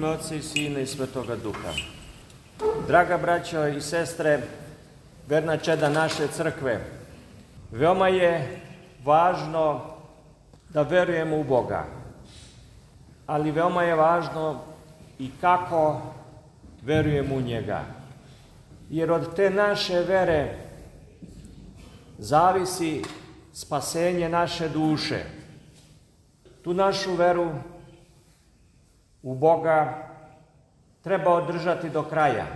ime Otca i Sina i Svetoga Duha. Draga braćo i sestre, verna čeda naše crkve, veoma je važno da verujemo u Boga, ali veoma je važno i kako verujemo u njega. Jer od te naše vere zavisi spasenje naše duše. Tu našu veru u Boga treba održati do kraja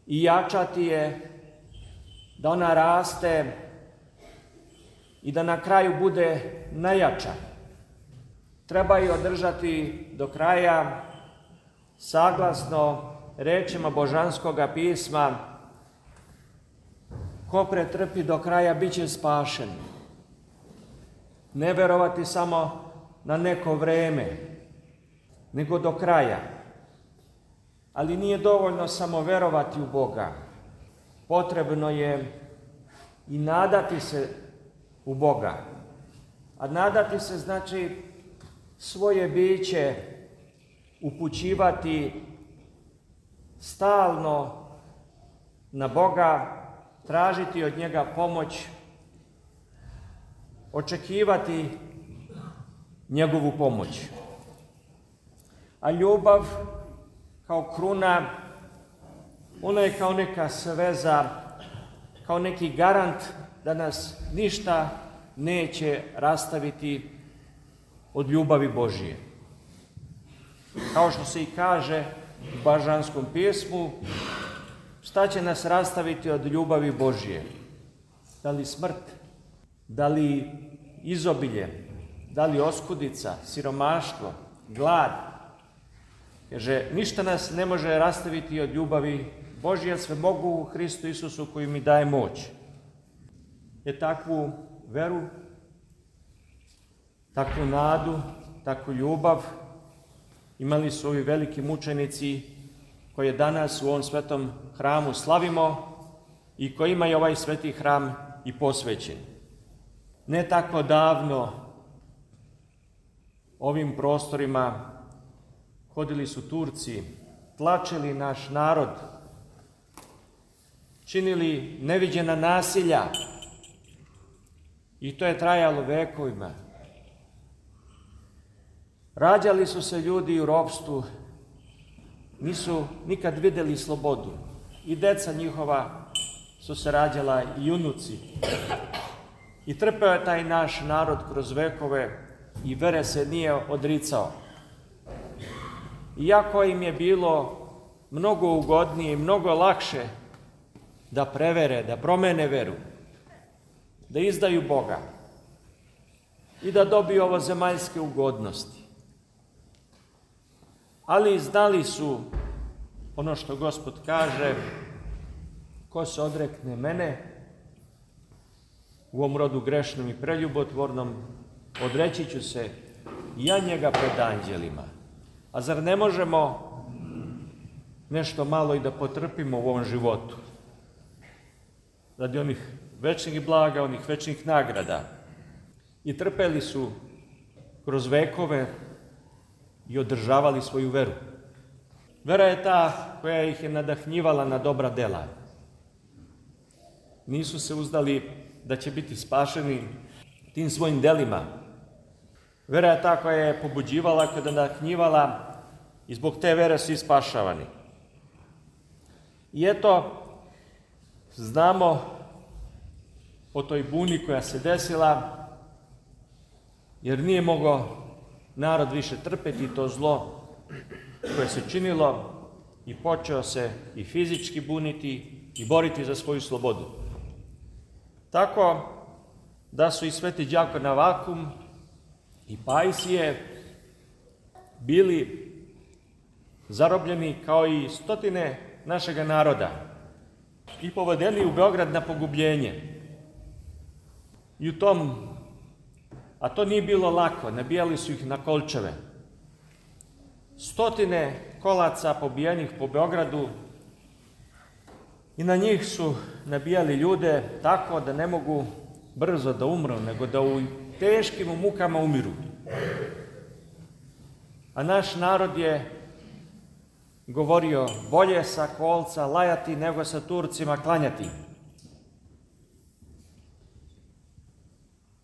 i jačati je da ona raste i da na kraju bude najjača. Treba je održati do kraja saglasno rečima Božanskoga pisma: ko pretrpi do kraja, bit će spašen. Ne verovati samo na neko vreme, nego do kraja. Ali nije dovoljno samo verovati u Boga. Potrebno je i nadati se u Boga. A nadati se znači svoje biće upućivati stalno na Boga, tražiti od njega pomoć, očekivati njegovu pomoć. A ljubav kao kruna, ona je kao neka sveza, kao neki garant da nas ništa neće rastaviti od ljubavi Božije. Kao što se i kaže u Božanskom pismu, šta će nas rastaviti od ljubavi Božije? Da li smrt, da li izobilje, da li oskudica, siromaštvo, glad? Kaže, ništa nas ne može rastaviti od ljubavi Božije, sve mogu u Hristu Isusu koji mi daje moć. Jer takvu veru, takvu nadu, takvu ljubav imali su ovi veliki mučenici koje danas u ovom svetom hramu slavimo i kojima je ovaj sveti hram i posvećen. Ne tako davno ovim prostorima hodili su Turci, tlačili naš narod, činili neviđena nasilja i to je trajalo vekovima. Rađali su se ljudi u ropstvu, nisu nikad vidjeli slobodu. I deca njihova su se rađala i unuci. I trpeo je taj naš narod kroz vekove i vere se nije odricao. Iako im je bilo mnogo ugodnije i mnogo lakše da prevere, da promene veru, da izdaju Boga i da dobiju ovo zemaljske ugodnosti. Ali znali su ono što Gospod kaže: ko se odrekne mene u ovom rodu grešnom i preljubotvornom, odreći ću se i ja njega pred anđelima. A zar ne možemo nešto malo i da potrpimo u ovom životu? Radi onih večnih blaga, onih večnih nagrada. I trpeli su kroz vekove i održavali svoju veru. Vera je ta koja ih je nadahnjivala na dobra dela. Nisu se uzdali da će biti spašeni tim svojim delima. Vera je ta koja je pobuđivala, koja je nadahnjivala i zbog te vere su i spašavani. I eto, znamo o toj buni koja se desila, jer nije mogao narod više trpeti to zlo koje se činilo i počeo se i fizički buniti i boriti za svoju slobodu. Tako da su i sveti đakon Avakum i Pajsije bili zarobljeni kao i stotine našega naroda i povedeni u Beograd na pogubljenje. I u tom, a to nije bilo lako, nabijali su ih na kolčeve. Stotine kolaca pobijenih po Beogradu i na njih su nabijali ljude tako da ne mogu brzo da umru, nego da u teškim mukama umiru. A naš narod je govorio, bolje sa kolca lajati nego sa Turcima klanjati.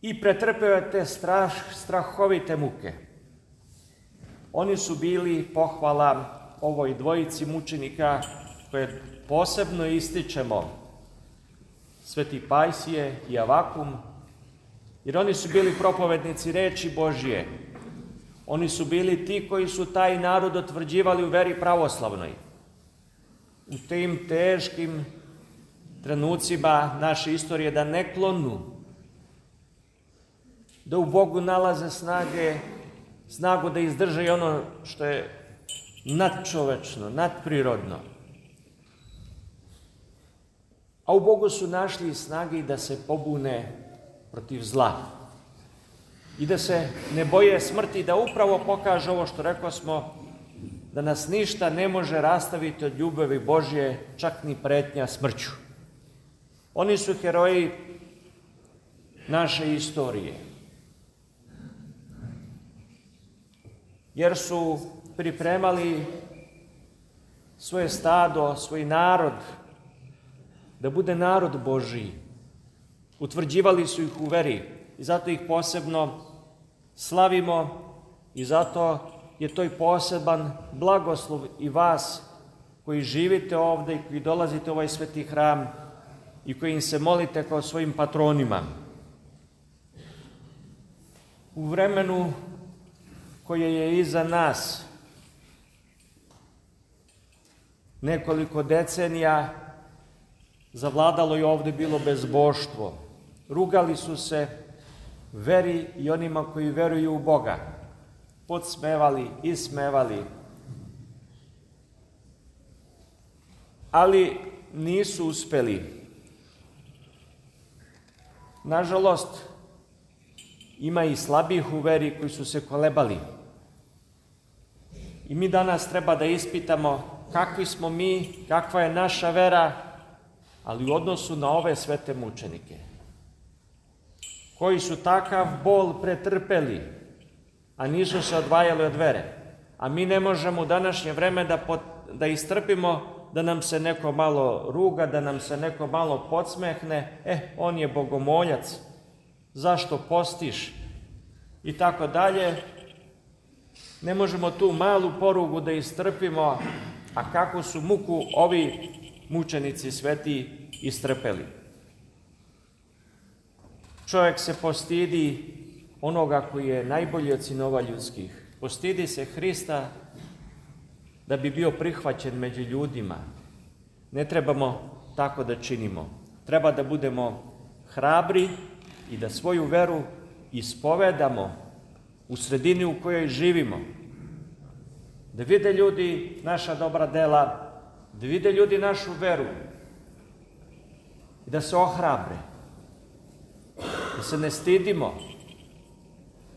I pretrpeo je te strahovite muke. Oni su bili pohvala ovoj dvojici mučenika koje posebno ističemo, Sveti Pajsije i Avakum, jer oni su bili propovednici reči Božje. Oni su bili ti koji su taj narod utvrđivali u veri pravoslavnoj. U tim teškim trenucima naše istorije da ne klonu, da u Bogu nalaze snagu da izdrže i ono što je nadčovečno, nadprirodno. A u Bogu su našli snage i da se pobune protiv zla. I da se ne boje smrti, da upravo pokaže ovo što rekosmo, da nas ništa ne može rastaviti od ljubavi Božje, čak ni pretnja smrću. Oni su heroji naše istorije. Jer su pripremali svoje stado, svoj narod, da bude narod Božji. Utvrđivali su ih u veri i zato ih posebno slavimo i zato je to i poseban blagoslov i vas koji živite ovde i koji dolazite u ovaj sveti hram i koji im se molite kao svojim patronima. U vremenu koje je iza nas, nekoliko decenija, zavladalo je ovde bilo bezboštvo. Rugali su se veri i onima koji veruju u Boga. Podsmevali, ismevali. Ali nisu uspeli. Nažalost, ima i slabih u veri koji su se kolebali. I mi danas treba da ispitamo kakvi smo mi, kakva je naša vera, ali u odnosu na ove svete mučenike, koji su takav bol pretrpeli, a nisu se odvajali od vere. A mi ne možemo u današnje vreme da istrpimo da nam se neko malo ruga, da nam se neko malo podsmehne, on je bogomoljac, zašto postiš? I tako dalje. Ne možemo tu malu porugu da istrpimo, a kako su muku ovi mučenici sveti istrpeli. Čovjek se postidi onoga koji je najbolji od sinova ljudskih. Postidi se Hrista da bi bio prihvaćen među ljudima. Ne trebamo tako da činimo. Treba da budemo hrabri i da svoju veru ispovedamo u sredini u kojoj živimo. Da vide ljudi naša dobra dela, da vide ljudi našu veru i da se ohrabre, da se ne stidimo.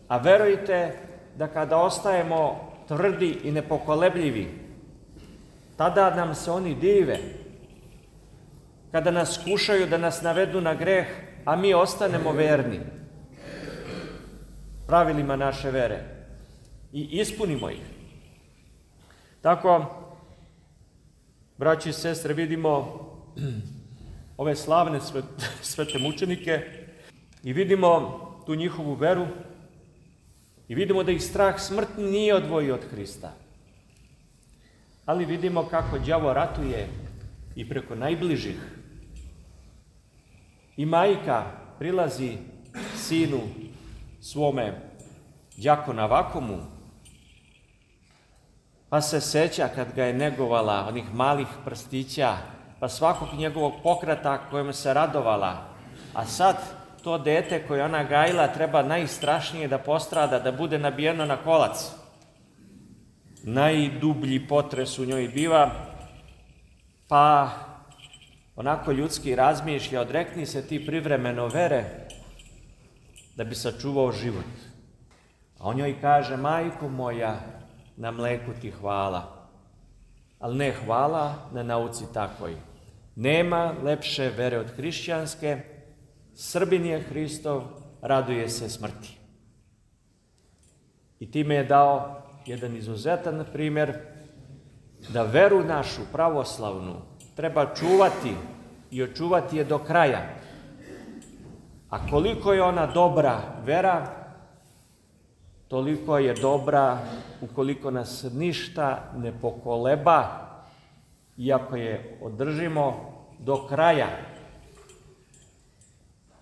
A verujte da kada ostajemo tvrdi i nepokolebljivi, tada nam se oni dive. Kada nas kušaju da nas navedu na greh, a mi ostanemo verni pravilima naše vere i ispunimo ih. Tako, braći i sestre, vidimo ove slavne svete mučenike i vidimo tu njihovu veru i vidimo da ih strah smrtni nije odvojio od Hrista. Ali vidimo kako đavo ratuje i preko najbližih. I majka prilazi sinu svome đakonu Avakumu, pa se seća kad ga je negovala onih malih prstića, pa svakog njegovog pokreta kojem se radovala. A sad to dete koje ona gajila treba najstrašnije da postrada, da bude nabijeno na kolac. Najdublji potres u njoj biva, pa onako ljudski razmišlja, odrekni se ti privremeno vere da bi sačuvao život. A on njoj kaže, majko moja, na mleku ti hvala, ali ne hvala na nauci takvoj. Nema lepše vere od hrišćanske, Srbin je Hristov, raduje se smrti. I time je dao jedan izuzetan primjer da veru našu pravoslavnu treba čuvati i očuvati je do kraja. A koliko je ona dobra vera, toliko je dobra ukoliko nas ništa ne pokoleba, iako je održimo do kraja.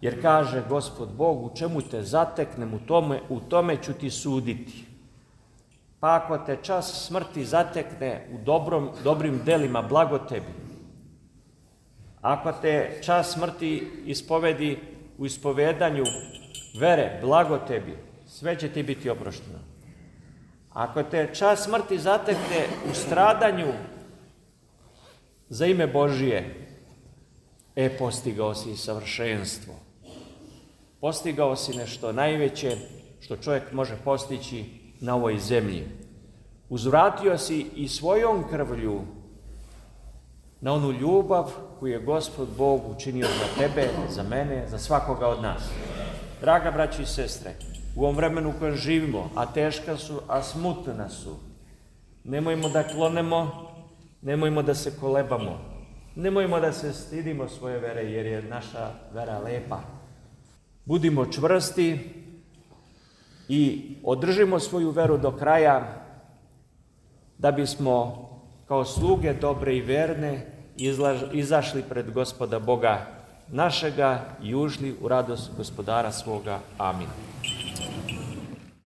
Jer kaže Gospod Bog, u čemu te zateknem, u tome ću ti suditi. Pa ako te čas smrti zatekne u dobrim delima, blago tebi. Ako te čas smrti ispovedi u ispovedanju vere, blago tebi, sve će ti biti oprošteno. Ako te čas smrti zatekne u stradanju za ime Božije, postigao si savršenstvo. Postigao si nešto najveće što čovjek može postići na ovoj zemlji. Uzvratio si i svojom krvlju na onu ljubav koju je Gospod Bog učinio za tebe, za mene, za svakoga od nas. Draga braći i sestre, u ovom vremenu u kojem živimo, a teška su, a smutna su, nemojmo da klonemo, nemojmo da se kolebamo, nemojmo da se stidimo svoje vere, jer je naša vera lepa. Budimo čvrsti i održimo svoju veru do kraja, da bismo kao sluge dobre i verne izašli pred Gospoda Boga našega i ušli u radost Gospodara svoga. Amin.